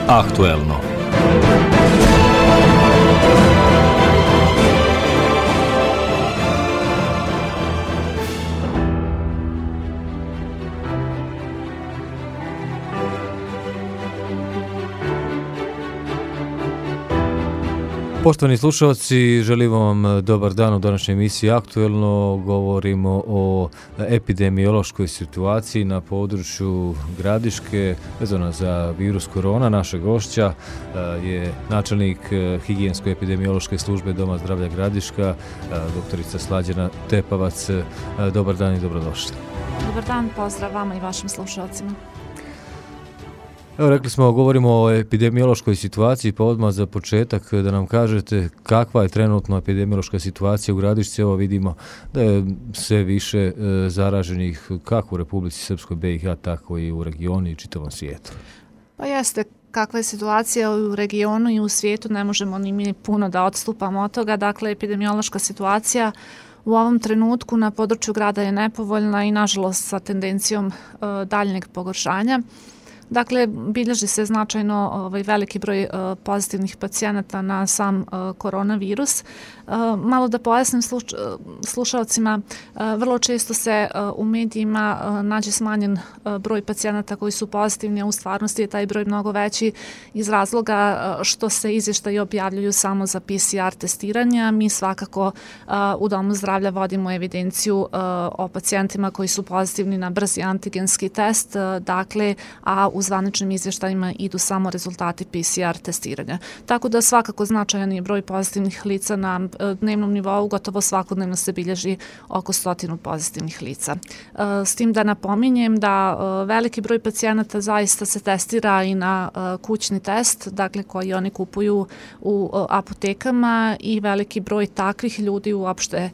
Aktuelno. Poštovani slušalci, želim vam dobar dan u današnjoj emisiji Aktuelno. Govorimo o epidemiološkoj situaciji na području Gradiške vezano za virus korona. Naša gošća je načelnik higijensko-epidemiološke službe Doma zdravlja Gradiška, doktorica Slađana Tepavac. Dobar dan i dobrodošli. Dobar dan, pozdrav vama i vašim slušalcima. Evo, rekli smo, govorimo o epidemiološkoj situaciji, pa odmah za početak da nam kažete kakva je trenutno epidemiološka situacija u Gradišci. Evo vidimo da je sve više zaraženih kako u Republici Srpskoj, BiH, tako i u regionu i čitavom svijetu. Pa jeste, kakva je situacija u regionu i u svijetu, ne možemo ni mi puno da odstupamo od toga. Dakle, epidemiološka situacija u ovom trenutku na području grada je nepovoljna i nažalost sa tendencijom daljnjeg pogoršanja. Dakle, bilježi se značajno veliki broj pozitivnih pacijenata na sam koronavirus. Malo da pojasnim slušalcima, vrlo često se u medijima nađe smanjen broj pacijenata koji su pozitivni, a u stvarnosti je taj broj mnogo veći iz razloga što se izvještaji objavljuju samo za PCR testiranja. Mi svakako u Domu zdravlja vodimo evidenciju o pacijentima koji su pozitivni na brzi antigenski test, dakle, a u zvaničnim izvještajima idu samo rezultati PCR testiranja. Tako da svakako značajan je broj pozitivnih lica na dnevnom nivou, gotovo svakodnevno se bilježi oko 100 pozitivnih lica. S tim da napominjem da veliki broj pacijenata zaista se testira i na kućni test, dakle koji oni kupuju u apotekama i veliki broj takvih ljudi uopšte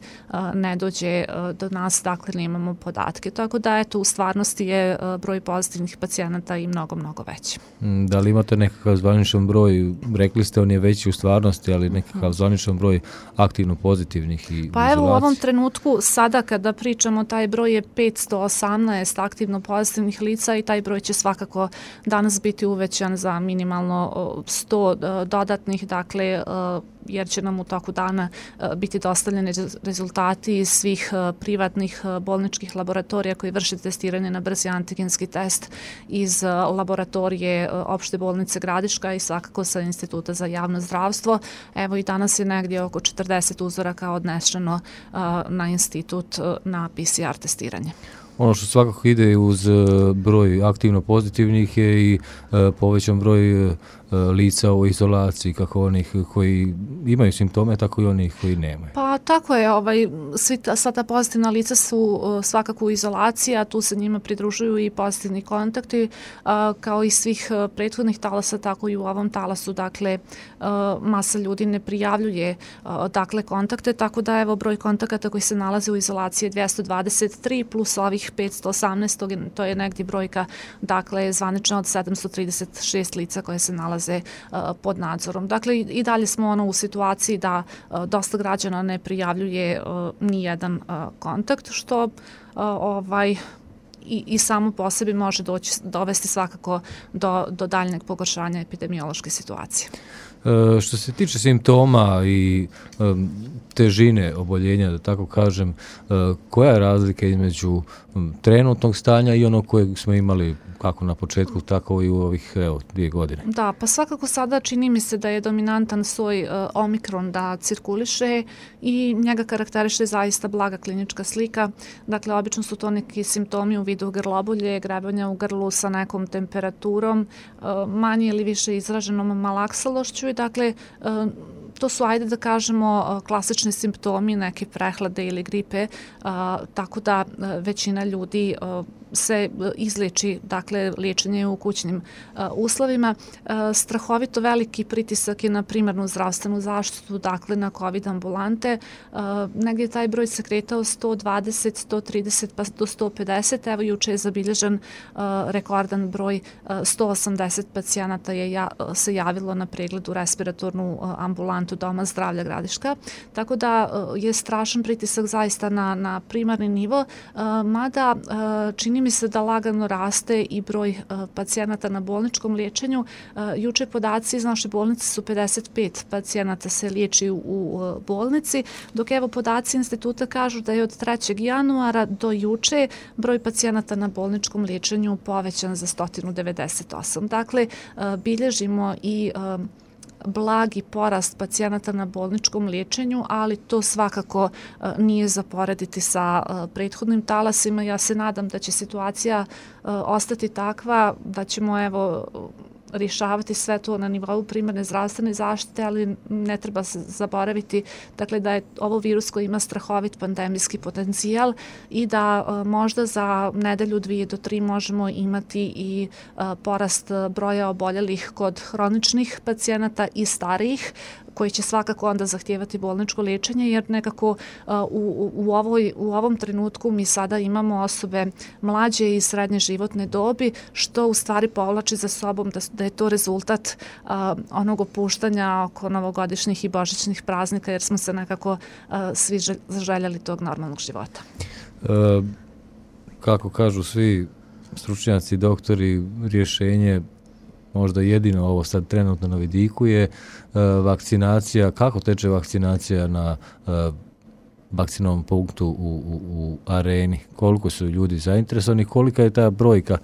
ne dođe do nas, dakle nemamo podatke. Tako da eto, u stvarnosti je broj pozitivnih pacijenata i mnogo veći. Da li imate nekakav zvaničan broj, rekli ste on je veći u stvarnosti, ali nekakav zvaničan broj aktivno pozitivnih i pa evo u ovom trenutku sada kada pričamo taj broj je 518 aktivno pozitivnih lica i taj broj će svakako danas biti uvećan za minimalno 100 dodatnih, dakle jer će nam u toku dana biti dostavljeni rezultati iz svih privatnih bolničkih laboratorija koji vrše testiranje na brzi antigenski test iz laboratorije opšte bolnice Gradiška i svakako sa Instituta za javno zdravstvo. Evo i danas je negdje oko 40 uzoraka odnešeno na institut na PCR testiranje. Ono što svakako ide uz broj aktivno pozitivnih je i povećan broj lica u izolaciji, kako onih koji imaju simptome, tako i onih koji nemaju. Pa tako je, sva ta pozitivna lica su svakako u izolaciji, a tu se njima pridružuju i pozitivni kontakti, kao i svih prethodnih talasa, tako i u ovom talasu, dakle, masa ljudi ne prijavljuje dakle kontakte, tako da evo broj kontakata koji se nalaze u izolaciji je 223 plus ovih 518, to je negdje brojka, dakle, zvanično od 736 lica koje se nalaze pod nadzorom. Dakle, i dalje smo u situaciji da dosta građana ne prijavljuje ni jedan kontakt, što i samo po sebi može dovesti svakako do daljnjeg pogoršanja epidemiološke situacije. Što se tiče simptoma i težine oboljenja, da tako kažem, koja je razlika između trenutnog stanja i onog kojeg smo imali kako na početku, tako i u ovih 2 godine? Da, pa svakako sada čini mi se da je dominantan soj Omikron da cirkuliše i njega karakteriše zaista blaga klinička slika. Dakle, obično su to neki simptomi u vidu grlobolje, grebanja u grlu sa nekom temperaturom, manje ili više izraženom malaksalošću i dakle, to su, ajde da kažemo, klasični simptomi neke prehlade ili gripe, tako da većina ljudi se izleči, dakle, liječenje u kućnim uslovima. Strahovito veliki pritisak je na primarnu zdravstvenu zaštitu, dakle, na COVID ambulante. Negdje je taj broj se kretao 120, 130 pa do 150. Evo, juče je zabilježen rekordan broj 180 pacijenata se javilo na pregled u respiratornu ambulantu Doma zdravlja Gradiška. Tako da je strašan pritisak zaista na primarni nivo, mada čini mi se da lagano raste i broj pacijenata na bolničkom liječenju. Juče podaci iz naše bolnice su 55 pacijenata se liječi u bolnici, dok evo podaci instituta kažu da je od 3. januara do juče broj pacijenata na bolničkom liječenju povećan za 198. Dakle, bilježimo i blagi porast pacijenata na bolničkom liječenju, ali to svakako nije za porediti sa prethodnim talasima. Ja se nadam da će situacija ostati takva, da ćemo evo rješavati sve to na nivou primarne zdravstvene zaštite, ali ne treba se zaboraviti dakle, da je ovo virus koji ima strahovit pandemijski potencijal i da možda za nedelju, 2 do 3 možemo imati i porast broja oboljelih kod hroničnih pacijenata i starijih, koji će svakako onda zahtijevati bolničko liječenje, jer nekako u ovom trenutku mi sada imamo osobe mlađe i srednje životne dobi, što u stvari povlači za sobom da je to rezultat onog opuštanja oko novogodišnjih i božićnih praznika, jer smo se nekako svi zaželjeli tog normalnog života. Kako kažu svi stručnjaci, doktori, rješenje možda jedino ovo sad trenutno na vidiku je vakcinacija. Kako teče vakcinacija na vakcinovom punktu u Areni? Koliko su ljudi zainteresovani? Kolika je ta brojka,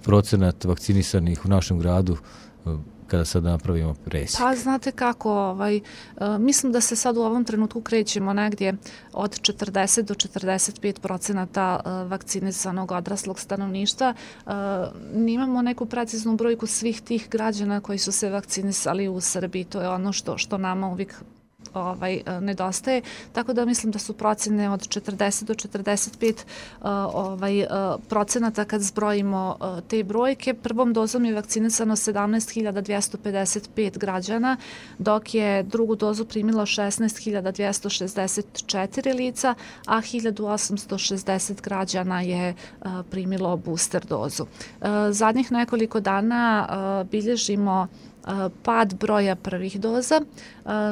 procenat vakcinisanih u našem gradu kada sad napravimo presjek? Pa znate kako, mislim da se sad u ovom trenutku krećemo negdje od 40 do 45% vakcinisanog odraslog stanovništva. Nimamo neku preciznu brojku svih tih građana koji su se vakcinisali u Srbiji. To je ono što nama uvijek nedostaje, tako da mislim da su procene od 40 do 45 procenata kad zbrojimo te brojke. Prvom dozom je vakcinisano 17.255 građana, dok je drugu dozu primilo 16.264 lica, a 1.860 građana je primilo booster dozu. Zadnjih nekoliko dana bilježimo pad broja prvih doza,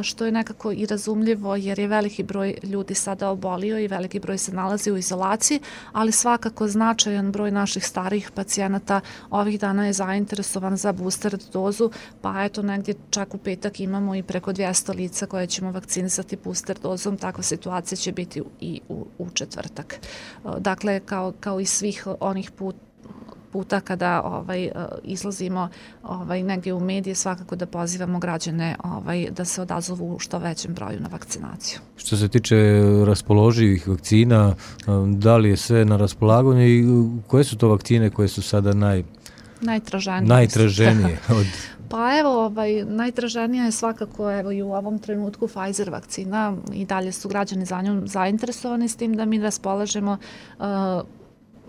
što je nekako i razumljivo jer je veliki broj ljudi sada obolio i veliki broj se nalazi u izolaciji, ali svakako značajan broj naših starijih pacijenata ovih dana je zainteresovan za booster dozu, pa eto negdje čak u petak imamo i preko 200 lica koje ćemo vakcinisati booster dozom. Takva situacija će biti i u četvrtak. Dakle, kao i svih onih puta kada izlazimo negdje u medije, svakako da pozivamo građane da se odazovu u što većem broju na vakcinaciju. Što se tiče raspoloživih vakcina, da li je sve na raspolaganju i koje su to vakcine koje su sada najtraženije? Pa evo, najtraženija je svakako i u ovom trenutku Pfizer vakcina i dalje su građani za njom zainteresovani, s tim da mi raspolažemo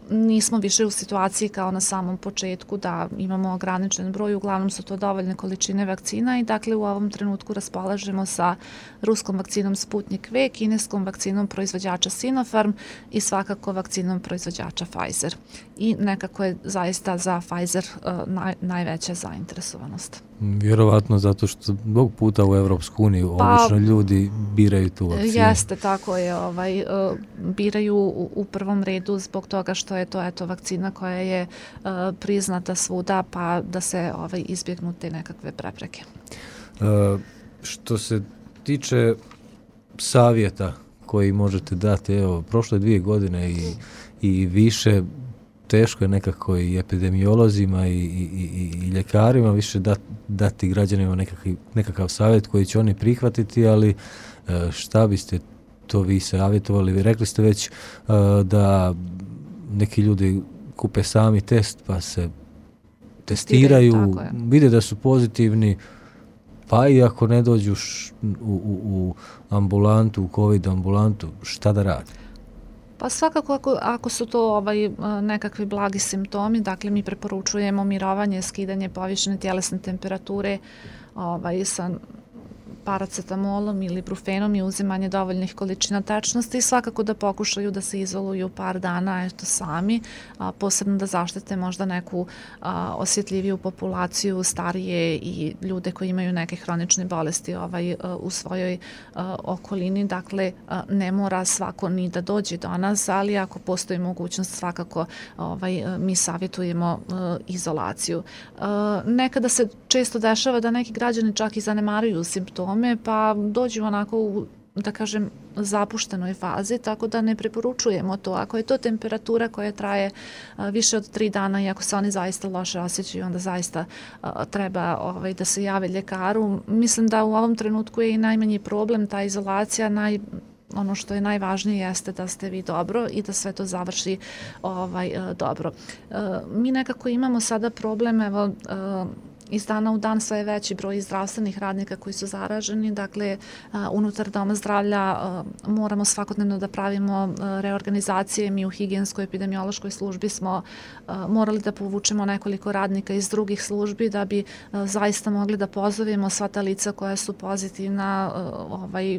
nismo više u situaciji kao na samom početku da imamo ograničen broj, uglavnom su to dovoljne količine vakcina i dakle u ovom trenutku raspolažemo sa ruskom vakcinom Sputnik V, kineskom vakcinom proizvođača Sinopharm i svakako vakcinom proizvođača Pfizer. I nekako je zaista za Pfizer najveća zainteresovanost. Vjerovatno zato što mnogo puta u Evropsku uniju obično ljudi biraju tu vakcinu. Jeste, tako je. Biraju u prvom redu zbog toga što je to vakcina koja je priznata svuda, pa da se izbjegnu te nekakve prepreke. Što se tiče savjeta koji možete dati, evo, prošle 2 godine i više, teško je nekako i epidemiolozima i ljekarima više dati građanima nekakav savjet koji će oni prihvatiti, ali šta biste to vi savjetovali? Rekli ste već da neki ljudi kupe sami test pa se testiraju, vide da su pozitivni, pa i ako ne dođu u ambulantu, u COVID ambulantu, šta da radi? Pa svakako ako su to nekakvi blagi simptomi, dakle mi preporučujemo mirovanje, skidanje povišene tjelesne temperature sa paracetamolom ili brufenom i uzimanje dovoljnih količina tečnosti i svakako da pokušaju da se izoluju par dana sami, posebno da zaštite možda neku osjetljiviju populaciju, starije i ljude koji imaju neke hronične bolesti u svojoj okolini. Dakle, ne mora svako ni da dođe do nas, ali ako postoji mogućnost, svakako mi savjetujemo izolaciju. Nekada se često dešava da neki građani čak i zanemaruju simptome, pa dođu onako u, da kažem, zapuštenoj fazi, tako da ne preporučujemo to. Ako je to temperatura koja traje više od 3 dana i ako se oni zaista loše osjećaju, onda zaista treba da se jave ljekaru. Mislim da u ovom trenutku je i najmanji problem ta izolacija, ono što je najvažnije jeste da ste vi dobro i da sve to završi dobro. Mi nekako imamo sada problem, iz dana u dan sve je veći broj zdravstvenih radnika koji su zaraženi, dakle unutar doma zdravlja moramo svakodnevno da pravimo reorganizacije. Mi u higijenskoj epidemiološkoj službi smo morali da povučemo nekoliko radnika iz drugih službi da bi zaista mogli da pozovemo sva ta lica koja su pozitivna,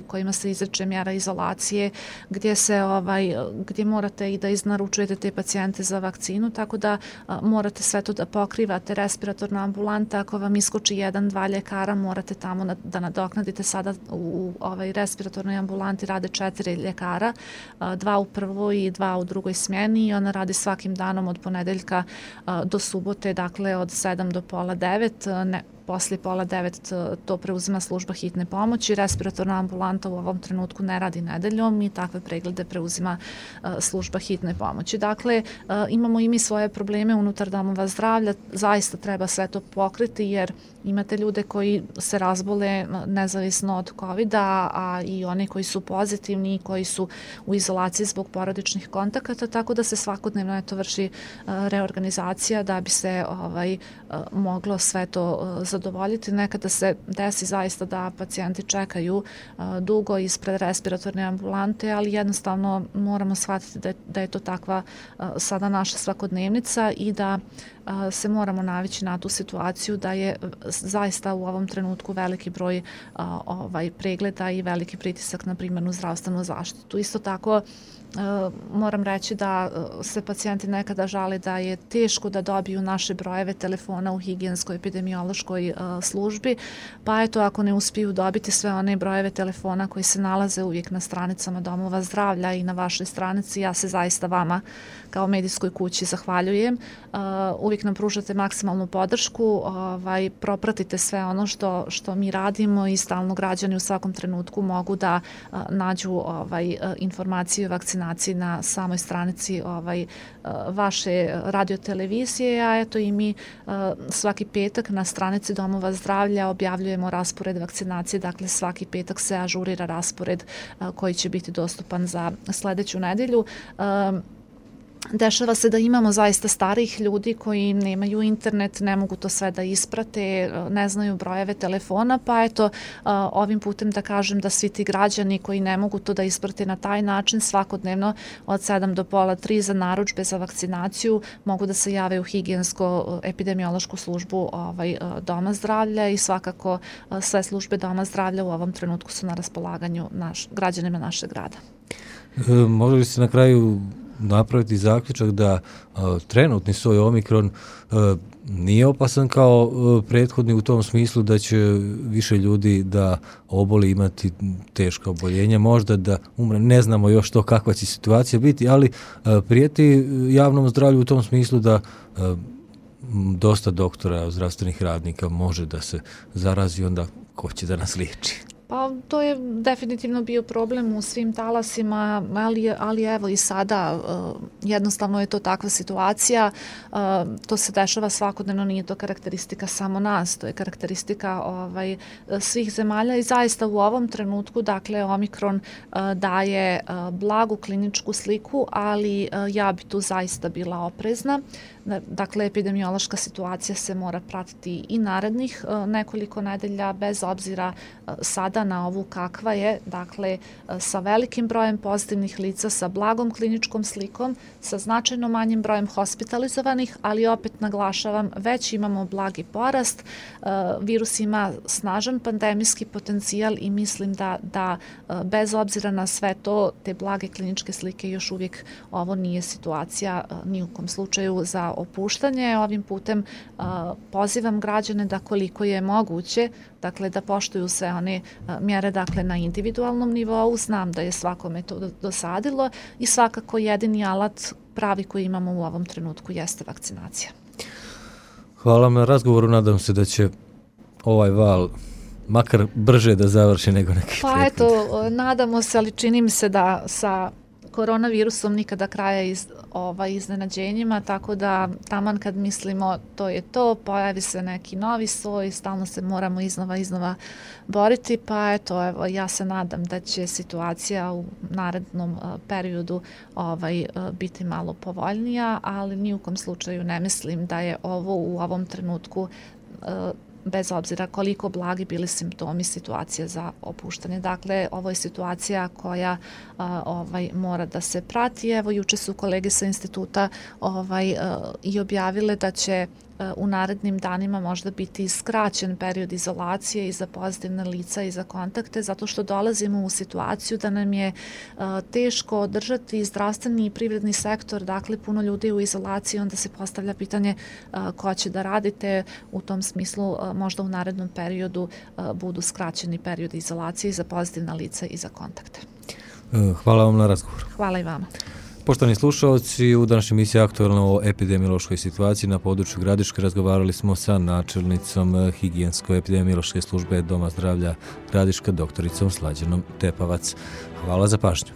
kojima se izreče mjera izolacije, gdje morate i da iznaručujete te pacijente za vakcinu, tako da morate sve to da pokrivate. Respiratorna ambulanta, ako vam iskoči 1-2 ljekara, morate tamo da nadoknadite. Sada u respiratornoj ambulanti rade 4 ljekara, 2 u prvoj i 2 u drugoj smjeni i ona radi svakim danom od ponedeljka do subote, dakle od 7 do pola 9, poslije pola 9 to preuzima služba hitne pomoći. Respiratorna ambulanta u ovom trenutku ne radi nedeljom i takve preglede preuzima služba hitne pomoći. Dakle, imamo i mi svoje probleme unutar domova zdravlja, zaista treba sve to pokriti jer imate ljude koji se razbole nezavisno od COVID-a, a i oni koji su pozitivni i koji su u izolaciji zbog porodičnih kontakata, tako da se svakodnevno vrši reorganizacija da bi se moglo sve to zadovoljiti. Nekada se desi zaista da pacijenti čekaju dugo ispred respiratorne ambulante, ali jednostavno moramo shvatiti da je to takva sada naša svakodnevnica i da se moramo navići na tu situaciju da je zaista u ovom trenutku veliki broj pregleda i veliki pritisak na primarnu zdravstvenu zaštitu. Isto tako moram reći da se pacijenti nekada žale da je teško da dobiju naše brojeve telefona u higijenskoj epidemiološkoj službi, pa eto ako ne uspiju dobiti sve one brojeve telefona koji se nalaze uvijek na stranicama domova zdravlja i na vašoj stranici, ja se zaista vama kao medijskoj kući zahvaljujem. Uvijek nam pružate maksimalnu podršku, propratite sve ono što mi radimo i stalno građani u svakom trenutku mogu da nađu informacije o vakcinaciji na samoj stranici vaše radiotelevizije, a eto i mi svaki petak na stranici domova zdravlja objavljujemo raspored vakcinacije, dakle svaki petak se ažurira raspored koji će biti dostupan za sljedeću nedelju. Dešava se da imamo zaista starih ljudi koji nemaju internet, ne mogu to sve da isprate, ne znaju brojeve telefona, pa eto ovim putem da kažem da svi ti građani koji ne mogu to da isprate na taj način svakodnevno od 7 do pola 3 za narudžbe za vakcinaciju mogu da se jave u higijensko-epidemiološku službu doma zdravlja i svakako sve službe doma zdravlja u ovom trenutku su na raspolaganju građanima našeg grada. Može li se na kraju napraviti zaključak da trenutni soj Omikron nije opasan kao prethodni u tom smislu da će više ljudi da oboli imati teška oboljenja, možda da umre, ne znamo još to kakva će situacija biti, ali prijeti javnom zdravlju u tom smislu da dosta doktora, zdravstvenih radnika može da se zarazi, onda ko će da nas liječi? Pa to je definitivno bio problem u svim talasima, ali evo i sada jednostavno je to takva situacija, to se dešava svakodnevno, nije to karakteristika samo nas, to je karakteristika svih zemalja i zaista u ovom trenutku, dakle, Omikron daje blagu kliničku sliku, ali ja bi tu zaista bila oprezna. Dakle, epidemiološka situacija se mora pratiti i narednih nekoliko nedelja, bez obzira sada na ovu kakva je, dakle, sa velikim brojem pozitivnih lica, sa blagom kliničkom slikom, sa značajno manjim brojem hospitalizovanih, ali opet naglašavam, već imamo blagi porast. Virus ima snažan pandemijski potencijal i mislim da bez obzira na sve to, te blage kliničke slike, još uvijek ovo nije situacija ni u kom slučaju za opuštanje. Ovim putem pozivam građane da koliko je moguće, dakle, da poštuju sve one mjere, dakle, na individualnom nivou. Znam da je svakome to dosadilo i svakako jedini alat pravi koji imamo u ovom trenutku jeste vakcinacija. Hvala vam na razgovoru, nadam se da će ovaj val makar brže da završi nego neki prethodni. Pa eto, nadamo se, ali čini mi se da sa koronavirusom nikada kraja iznenađenjima, tako da taman kad mislimo to je to, pojavi se neki novi soj, stalno se moramo iznova boriti, pa eto, evo, ja se nadam da će situacija u narednom periodu biti malo povoljnija, ali ni u kom slučaju ne mislim da je ovo u ovom trenutku bez obzira koliko blagi bili simptomi, situacija za opuštanje. Dakle, ovo je situacija koja mora da se prati. Evo, juče su kolege sa instituta i objavile da će u narednim danima možda biti skraćen period izolacije i za pozitivne lica i za kontakte, zato što dolazimo u situaciju da nam je teško održati zdravstveni i privredni sektor, dakle puno ljudi u izolaciji, onda se postavlja pitanje ko će da radite. U tom smislu možda u narednom periodu budu skraćeni period izolacije i za pozitivna lica i za kontakte. Hvala vam na razgovor. Hvala i vama. Poštovani slušalci, u današnjoj emisiji Aktuelno o epidemiološkoj situaciji na području Gradiške razgovarali smo sa načelnicom higijensko-epidemiološke službe Doma zdravlja Gradiška, doktoricom Slađanom Tepavac. Hvala za pažnju.